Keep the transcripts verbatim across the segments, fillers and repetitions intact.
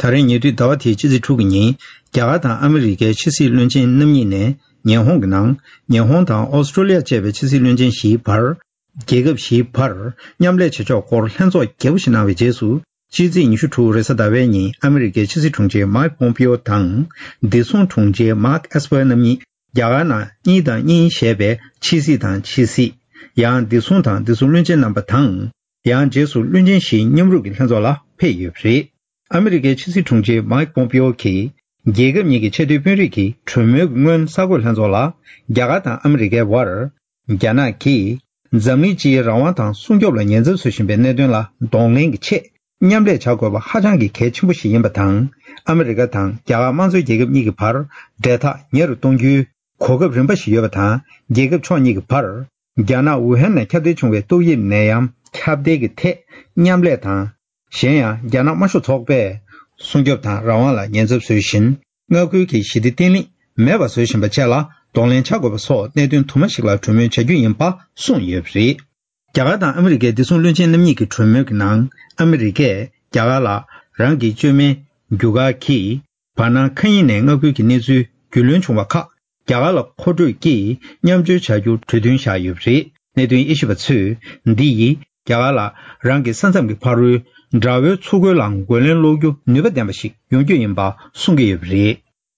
ད་རེས་ཉེ་དུས་ཟླ་བ་དེའི་ཕྱི་ཚེས་དྲུག་གི་ཉིན། རྒྱ་གར་དང་ཨ་མི་རི་ཀའི་ཕྱི་སྲིད་བློན་ཆེན་རྣམ་གཉིས་ནས། ཉི་ཧོང་གི་ནང་། ཉི་ཧོང་དང་ཨོ་སི་ཀྲོ་ལི་ཡ་བཅས་པའི་ཕྱི་སྲིད་བློན་ཆེན་བཞིའི་བར། རྒྱལ་ཁབ་བཞིའི་བར་མཉམ་ལས་བྱེད་ཕྱོགས་སྐོར་ལྷན་ཚོགས་རྒྱས་པོ་ཞིག་གནང་བའི་རྗེས་སུ། ཕྱི་ཚེས་ཉི་ཤུ་དྲུག་རེས་གཟའ་ཟླ་བའི་ཉིན་ཨ་མི་རི་ཀའི་ཕྱི་སྲིད་དྲུང་ཆེ་མཱིག་པོམ་པིའོ་དང་། བདེ་སྲུང་དྲུང་ཆེ་མཱརྐ་ཨེས་པར་རྣམ་གཉིས་རྒྱ་གར་ནང་གཉིས་དང་གཉིས་ཞེས་པའི་ཕྱི་སྲིད་དང་ཕྱི་སྲིད། ཡང་བདེ་སྲུང་དང་བདེ་སྲུང་བློན་ཆེན་རྣམ་པ་དང་། ཡང་རྗེས་སུ་བློན་ཆེན་བཞིའི་མཉམ་རུབ་ཀྱི་ལྷན་ཚོགས་ལ་ཕེབས་ཡོད་པ་རེད། ཨ་མི་རི་ཀའི་ཕྱི་སྲིད་དྲུང་ཆེ་མཱིག་པོམ་པིའོ་གིས། རྒྱལ་ཁབ་གཉིས་ཀྱི་ཆེས་མཐོའི་དཔོན་རིགས་ཀྱི་གྲོས་མོལ་གྱི་སྔོན་གསར་འགོད་ལྷན་ཚོགས་ལ། རྒྱ་གར་དང་ཨ་མི་རི་ཀའི་བར། རྒྱ་ནག་གིས་འཛམ་གླིང་སྤྱིའི་རང་དབང་དང་སྲུང་སྐྱོབ་ལ་ཉེན་ཚབས་བཟོ་བཞིན་པའི་གནད་དོན་ལ་གདོང་ལེན་གྱི་ཆེད། མཉམ་ལས་བྱ་དགོས་པ་ཧ་ཅང་གི་གལ་ཆེན་པོ་ཞིག་ཡིན་པ་དང་། ཨ་མི་རི་ཀ་དང་རྒྱ་གར་དམངས་གཙོའི་རྒྱལ་ཁབ་གཉིས་ཀྱི་བར་འབྲེལ་ཐག་ཉེ་རུ་གཏོང་རྒྱུའི་གོ་སྐབས་རིམ་པ་ཞིག་ཡོད་པ་དང་། རྒྱལ་ཁབ་ཕྱོགས་གཉིས་ཀྱི་བར། རྒྱ་ནག་ཝུ་ཧན་ནས་ཁྱབ་གདལ་བྱུང་བའི་ཏོག་དབྱིབས་ནད་ཡམས་ཁྱབ་གདལ་གྱི་ཐད་མཉམ་ལས་དང་། གཞན་ཡང་། རྒྱ་ནག་དམར་ཤོག་ཚོགས་པས་སྲུང་སྐྱོབ་དང་རང་དབང་ལ་ཉེན་ཚབས་བཟོ་བཞིན། མངའ་ཁུལ་གྱི་ཞི་བདེ་བརྟན་ལྷིང་མེད་པ་བཟོ་བཞིན་པ་བཅས་ལ་གདོང་ལེན་བྱ་དགོས་པ་སོགས་གནད་དོན་དུ་མ་ཞིག་ལ་གྲོས་མོལ་བྱ་རྒྱུ་ཡིན་པ་གསུངས་ཡོད་པ་རེད། རྒྱ་གར་དང་ཨ་མི་རི་ཀའི་བདེ་སྲུང་བློན་ཆེན་རྣམ་གཉིས་ཀྱི་གྲོས་མོལ་གྱི་ནང་། ཨ་མི་རི་ཀས་རྒྱ་གར་ལ་རང་གི་བཅོས་མའི་རྒྱུ་སྐར་གྱིས། བར་སྣང་མཁའ་དབྱིངས་ནས་མངའ་ཁུལ་གྱི་གནས་ཚུལ་རྒྱུས་ལོན་བྱུང་བ་ཁག་རྒྱ་གར་ལ་མཁོ་སྤྲོད་ཀྱིས་མཉམ་སྤྱོད་བྱ་རྒྱུར་གྲོས་མཐུན་བཞག་ཡོད་པ་རེད། གནད་དོན་དབྱེ་ཞིབ་པ་ཚོས། འདི་ཡིས་རྒྱ་གར་ལ་རང་གི་ས་མཚམས་ཀྱི་ཕ་རོལ་དགྲ་བོའི་མཚོ་ཁུལ་ལའང་རྒོལ་ལན་སློག་རྒྱུ་ནུས་པ་ལྡན་པ་ཞིག་ཡོང་རྒྱུ་ཡིན་པ་གསུང་གི་ཡོད་པ་རེད།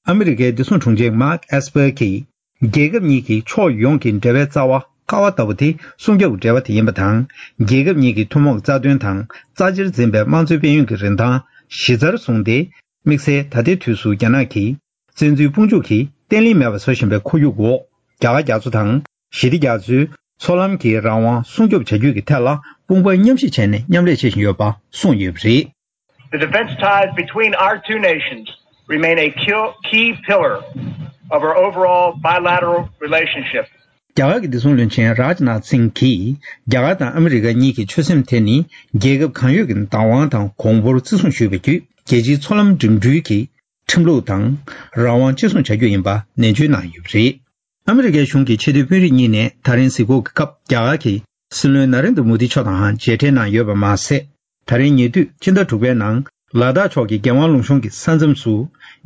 ཨ་མི་རི་ཀའི་བདེ་སྲུང་དྲུང་ཆེ་མཱརྐ་ཨེས་པར་གྱིས། རྒྱལ་ཁབ་གཉིས་ཀྱི་ཕྱོགས་ཡོངས་ཀྱི་འབྲེལ་བའི་རྩ་བ་ཀ་བ་ལྟ་བུ་དེ་སྲུང་སྐྱོབ་འབྲེལ་བ་དེ་ཡིན་པ་དང་། རྒྱལ་ཁབ་གཉིས་ཀྱི་ཐུན་མོང་རྩ་དོན་དང་རྩ་ཆེར་འཛིན་པའི་དམངས་གཙོའི་དཔལ་ཡོན་གྱི་རིན་ཐང་གཞི་རྩར་བཟུང་སྟེ། དམིགས་བསལ་ད་ལྟའི་དུས་སུ་རྒྱ་ནག་གིས་བཙན་འཛུལ་དཔུང་འཇུག་གིས་བརྟན་ལྷིང་མེད་པ་བཟོ་བཞིན་པའི་ཁོར་ཡུག་འོག་རྒྱ་གར་རྒྱ་མཚོ་དང་ཞི་བདེ་རྒྱ་མཚོའི་མཚོ་ལམ་གྱི་རང་དབང་སྲུང་སྐྱོབ་བྱ་རྒྱུ་གི་ཐད་ལ་དཔུང་པ་མཉམ་གཤིབ་བྱས་ནས་མཉམ་ལས་བྱེད་བཞིན་ཡོད་པ་གསུངས་ཡོད་པ་རེད། The defense ties between our two nations remain a key, key pillar of our overall bilateral relationship. རྒྱ་གར་གྱི་བདེ་སྲུང་བློན་ཆེན་རཱཇ་ནཱཐ་སིང་གིས་རྒྱ་གར་དང་ཨ་མི་རི་ཀ་གཉིས་ཀྱི་ཆོད་སེམས་དེ་ནི་རྒྱལ་ཁབ་གང་ཡོད་ཀྱི་བདག་དབང་དང་གོང་བུར་བརྩི་སྲུང་ཞུས་པ་བརྒྱུད་རྒྱལ་སྤྱིའི་མཚོ་ལམ་འགྲིམ་འགྲུལ་གྱི་ཁྲིམས་ལུགས་དང་རང་དབང་གཅེས་སྲུང་བྱ་རྒྱུ་ཡིན་པ་ནན་བརྗོད་གནང་ཡོད་པ་རེད། ཨ་མི་རི་ཀའི་གཞུང་གི་ཆེས་མཐོའི་དཔོན་རིགས་གཉིས་ནས་ད་རིང་གཟིགས་སྐོར་གྱི་སྐབས་རྒྱ་གར་གྱི་སྲིད་བློན་ན་རེན་དྲ་མོ་དི་མཆོག་དང་མཇལ་འཕྲད་གནང་ཡོད་པ་མ་ཟད། ད་རིང་ཉེ་དུས་ཕྱི་ཟླ་དྲུག་པའི་ནང་ལ་དྭགས་ཕྱོགས་ཀྱི་རྒྱལ་དབང་ལུང་གཤོང་གི་ས་མཚམས་སུ།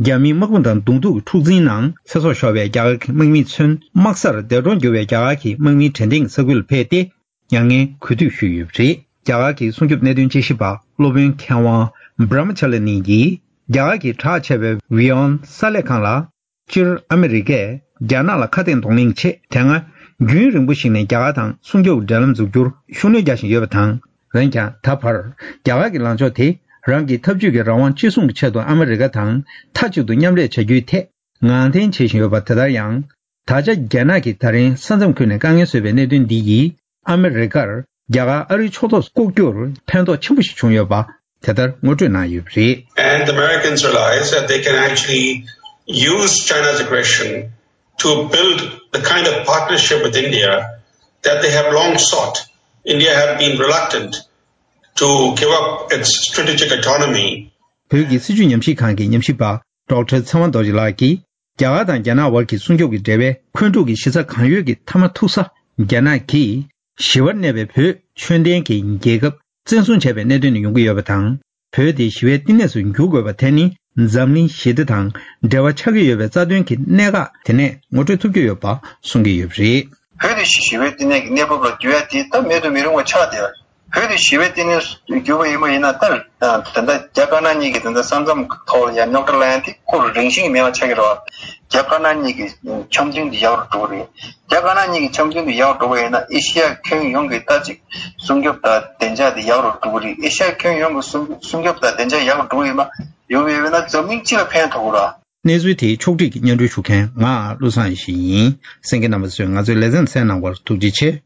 རྒྱ་མིའི་དམག་དཔུང་དང་གདོང་ཐུག་གི་འཁྲུག་འཛིང་ནང་ཚེ་སྲོག་ཤོར་བའི་རྒྱ་གར་གྱི་དམག་མི་ཚུན་དམག་སར་འདས་གྲོངས་གྱུར་བའི་རྒྱ་གར་གྱི་དམག་མིའི་དྲན་རྟེན་གྱི་ས་ཁུལ་ལ་ཕེབས་ཏེ། མྱ་ངན་གུས་འདུད་ཞུས་ཡོད་པ་རེད། རྒྱ་གར་གྱི་སྲུང་སྐྱོབ་གནད་དོན་དཔྱད་ཞིབ་པ་སློབ་དཔོན་མཁས་དབང་བྷ་ར་མ་ཅ་ལ་ནི་ཡིས། རྒྱ་གར་གྱི་གྲགས་ཆེ་བའི་ཝི་ཡོན་གསར་ལས་ཁང་ལ། སྤྱིར་ཨ་མི་རི་ཀས་རྒྱ་ནག་ལ་ཁ་གཏད་གདོང་ལེན་གྱི་ཆེད། དེ་སྔ་རྒྱུན་རིང་པོ་ཞིག་ནས་རྒྱ་གར་དང་སྲུང་སྐྱོབ་འབྲེལ་ལམ་འཛུགས་རྒྱུར་ཤུགས་སྣོན་རྒྱག་བཞིན་ཡོད་པ་དང་། འོན་ཀྱང་། ད་བར་རྒྱ་གར་གྱི་ལངས་ཕྱོགས་དེ་རང་གི་འཐབ་ཇུས་ཀྱི་རང་དབང་གཅེས་སྲུང་གི་ཆེད་དུ་ཨ་མི་རི་ཀ་དང་མཐའ་གཅིག་ཏུ་མཉམ་ལས་བྱ་རྒྱུའི་ཐད་ངང་འཐེན་བྱེད་བཞིན་ཡོད་པ། དེ་ལྟར་ཡང་། ད་ཆ་རྒྱ་ནག་གིས་ད་རིང་ས་མཚམས་ཁུལ་ནས་དཀའ་ངལ་བཟོས་པའི་གནད་དོན་འདི་ཡིས། ཨ་མི་རི་ཀར་རྒྱ་གར་ཨ་རིའི་ཕྱོགས་གཏོགས་བསྐོ་རྒྱུར་ཕན་ཐོགས་ཆེན་པོ་ཞིག་བྱུང་ཡོད་པ་དེ་ལྟར་ངོ་སྤྲོད་གནང་ཡོད་པ་རེད། And the Americans realize that they can actually use China's aggression to build the kind of partnership with India that they have long sought. India has been reluctant to give up its strategic autonomy. བོད་ཀྱི་སྲིད་བྱུས་ཉམས་ཞིབ་ཁང་གི་ཉམས་ཞིབ་པ་ཌོག་ཊར་ཚེ་དབང་རྡོ་རྗེ་ལགས་ཀྱིས། རྒྱ་གར་དང་རྒྱ་ནག་དབར་གྱི་སྲུང་སྐྱོབ་ཀྱི་འབྲེལ་བའི་འཁོན་འཁྲུག་གི་གཞི་རྩ་གང་ཡོད་ཀྱི་མཐའ་མ་ཐུག་ས་རྒྱ་ནག་གིས་ཞི་བར་གནས་པའི་བོད་ཆོས་ལྡན་གྱི་རྒྱལ་ཁབ་བཙན་བཟུང་བྱས་པའི་གནད་དོན་ནས་ཡོང་གི་ཡོད་པ་དང་། བོད་དེ་ཞི་བའི་བསྟི་གནས་སུ་འགྱུར་དགོས་པ་དེ་ནི་འཛམ་གླིང་ཞི་བདེ་དང་འབྲེལ་བ་ཆགས་ཀྱི་ཡོད་པའི་རྩ་དོན་གྱི་གནད་འགག་དེ་ནས་ངོ་སྤྲོད་ཐུབ་ཀྱི་ཡོད་པ་གསུང་གི་ཡོད་པ་རེད། བོད་དེ་ཞི་བའི་བསྟི་གནས་ཀྱི་གནས་བབ་ལ་འགྱུར་ཡ་དེ་ད་མེད་དུ་མི་རུང་བ་ཆགས་བསྡད་པ་རེད། བོད་དེ་ཞི་བའི་བསྟི་གནས་སུ་འགྱུར་བ་ཡིན་པ་ཡིན་ན། ད་ད་ལྟ་རྒྱ་དཀར་ནག་གཉིས་ཀྱི་ད་ལྟ་ས་མཚམས་ཐོག་ལ་ཡ་རྙོག་དྲ་ལ་ཡ་དེ་ཁོ་རང་བཞིན་གྱི་མེད་པ་ཆགས་ཀྱི་རེད་བ། རྒྱ་དཀར་ནག་གཉིས་ཀྱི་འཆམ་མཐུན་དེ་ཡག་རུ་འགྲོ་གི་རེད། རྒྱ་དཀར་ནག་གཉིས་ཀྱི་འཆམ་མཐུན་དེ་ཡག་རུ་འགྲོ་བ་ཡིན་ན། ཨེ་ཤི་ཡ་ཁྱོན་ཡོངས་ཀྱི་ད་ཅིག་སྲུང་སྐྱོབ་དང་བདེ་འཇགས་དེ་ཡག་རུ་འགྲོ་གི་རེད། ཨེ་ཤི་ཡ་ཁྱོན་ཡོངས་ཀྱི་སྲུང་སྲུང་སྐྱོབ་དང་བདེ་འཇགས་ཡག་རུ་འགྲོ་གི་ཡོད་མ་ཡོད་པ་ཡིན་ན། འཛམ་གླིང་སྤྱི་ལ་ཕན་ཐོགས་ཀྱི་རེད། གནས་ཚུལ་དེའི་ཕྱོགས་བསྒྲིགས་ཀྱིས་སྙན་སྒྲོན་ཞུ་མཁན་ང་བློ་བཟང་ཡེ་ཤེས་ཡིན། གསན་མཁན་རྣམ་པ་ཚོས་ང་ཚོའི་ལེ་ཚན་གསན་གནང་བར་ཐུགས་རྗེ་ཆེ།